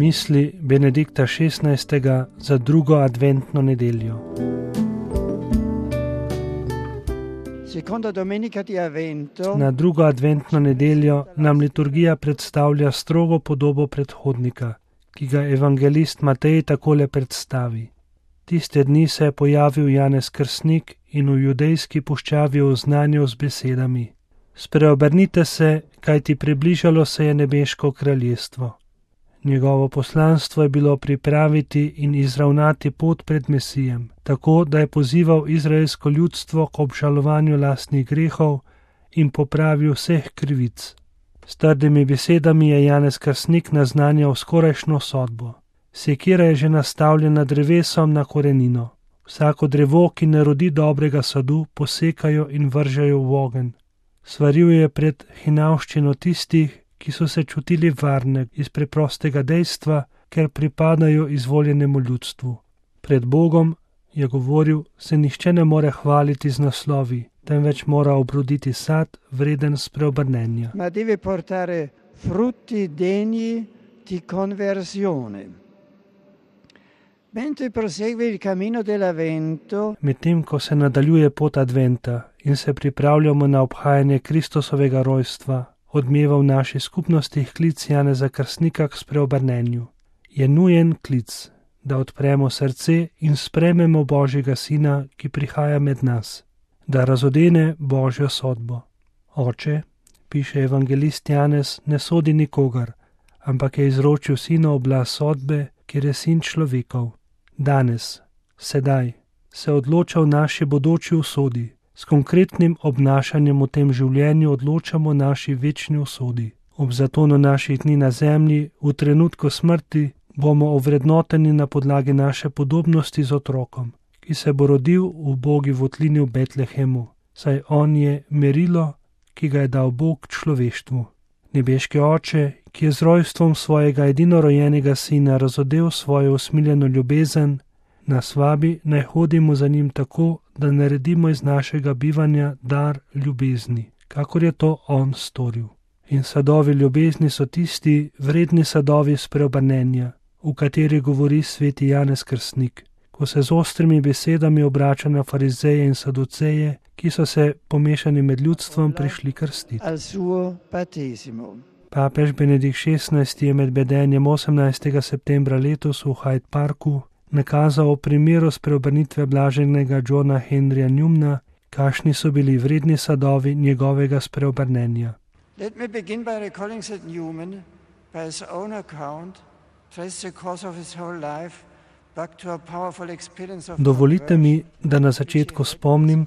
Misli Benedikta XVI za drugo adventno nedeljo. Na drugo adventno nedeljo nam liturgija predstavlja strogo podobo predhodnika, ki ga evangelist Matej takole predstavi. Tiste dni se je pojavil Janez Krstnik in v judejski puščavi oznanjal z besedami: Spreobrnite se, kajti približalo se je nebeško kraljestvo. Njegovo poslanstvo je bilo pripraviti in izravnati pot pred Mesijem, tako da je pozival izraelsko ljudstvo k obžalovanju lastnih grehov in popravi vseh krivic. S trdimi besedami je Janez Krstnik naznanjal skorajšnjo sodbo. Sekira je že nastavljena drevesom na korenino. Vsako drevo, ki ne rodi dobrega sadu, posekajo in vržejo v ogenj. Svaril je pred hinavščino tistih, ki so se čutili varne iz preprostega dejstva, ker pripadajo izvoljenemu ljudstvu. Pred Bogom, je govoril, se nihče ne more hvaliti z naslovi, temveč mora obroditi sad, vreden spreobrnenja. Ma deve portare frutti degni di conversione. Mentre prosegue il cammino dell'Avvento, medtem ko se nadaljuje pot Adventa in se pripravljamo na obhajanje Kristusovega rojstva, odmeva v naši skupnosti klic Janeza Krstnika k spreobrnenju. Je nujen klic, da odpremo srce in sprejmemo Božjega Sina, ki prihaja med nas, da razodene Božjo sodbo. Oče, piše evangelist Janez, ne sodi nikogar, ampak je izročil Sina oblast sodbe, ker je Sin človekov. Danes, sedaj, se odloča v naši bodoči usodi. S konkretnim obnašanjem v tem življenju odločamo naši večni usodi. Ob zatonu naših dni na zemlji, v trenutku smrti, bomo ovrednoteni na podlagi naše podobnosti z otrokom, ki se bo rodil v ubogi votlini v Betlehemu, saj on je merilo, ki ga je dal Bog človeštvu. Nebeški Oče, ki je z rojstvom svojega edinorojenega Sina razodel svojo usmiljeno ljubezen, nas vabi, naj hodimo za njim tako, da naredimo iz našega bivanja dar ljubezni, kakor je to on storil. In sadovi ljubezni so tisti vredni sadovi spreobrnenja, v kateri govori sveti Janez Krstnik, ko se z ostrimi besedami obrača na farizeje in saduceje, ki so se pomešani med ljudstvom prišli krstiti. Papež Benedikt XVI je med bedenjem 18. septembra letos v Hyde Parku nakazal o primeru spreobrnitve blaženega Johna Henrya Newmana, kakšni so bili vredni sadovi njegovega spreobrnenja. Let me begin by recalling that Newman, by his own account, traced the course of his whole life back to a powerful experience of. Dovolite mi, da na začetku spomnim,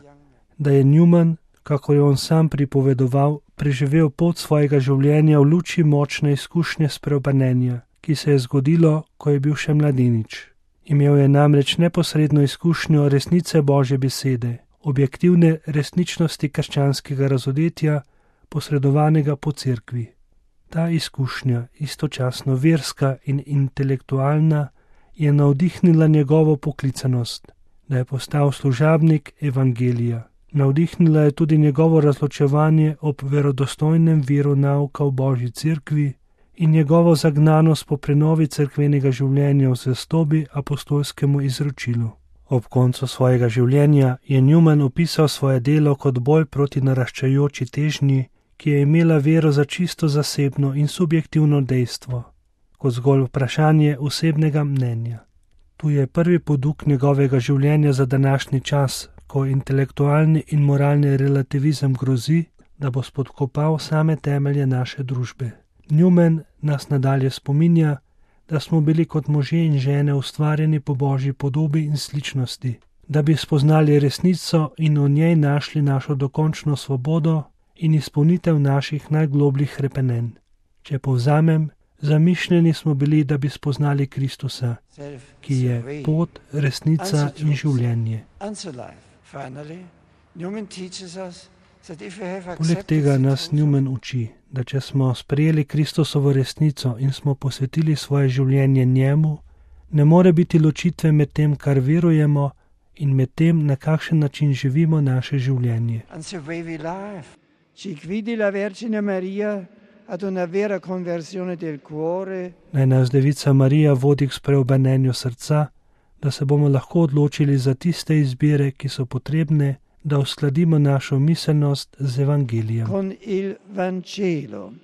da je Newman, kako je on sam pripovedoval, preživel pot svojega življenja v luči močne izkušnje spreobrnenja, ki se je zgodilo, ko je bil še mladenič. Imel je namreč neposredno izkušnjo resnice Božje besede, objektivne resničnosti krščanskega razodetja, posredovanega po cerkvi. Ta izkušnja, istočasno verska in intelektualna, je navdihnila njegovo poklicanost, da je postal služabnik evangelija. Navdihnila je tudi njegovo razločevanje ob verodostojnem viru nauka v Božji cerkvi in njegovo zagnanost po prenovi cerkvenega življenja v zvestobi apostolskemu izročilu. Ob koncu svojega življenja je Newman opisal svoje delo kot boj proti naraščajoči težnji, ki je imela vero za čisto zasebno in subjektivno dejstvo, kot zgolj vprašanje osebnega mnenja. Tu je prvi poduk njegovega življenja za današnji čas, ko intelektualni in moralni relativizem grozi, da bo spodkopal same temelje naše družbe. Newman nas nadalje spominja, da smo bili kot možje in žene ustvarjeni po Božji podobi in sličnosti, da bi spoznali resnico in v njej našli našo dokončno svobodo in izpolnitev naših najglobljih hrepenenj. Če povzamem, zamišljeni smo bili, da bi spoznali Kristusa, ki je pot, resnica in življenje. Poleg tega nas Newman uči, da če smo sprejeli Kristusovo resnico in smo posvetili svoje življenje njemu, ne more biti ločitve med tem, kar verujemo, in med tem, na kakšen način živimo naše življenje. ad una vera conversione del cuore, Naj nas Devica Marija vodi k spreobrnenju srca, da se bomo lahko odločili za tiste izbire, ki so potrebne, da uskladimo našo miselnost z Evangelijem. con il Vangelo.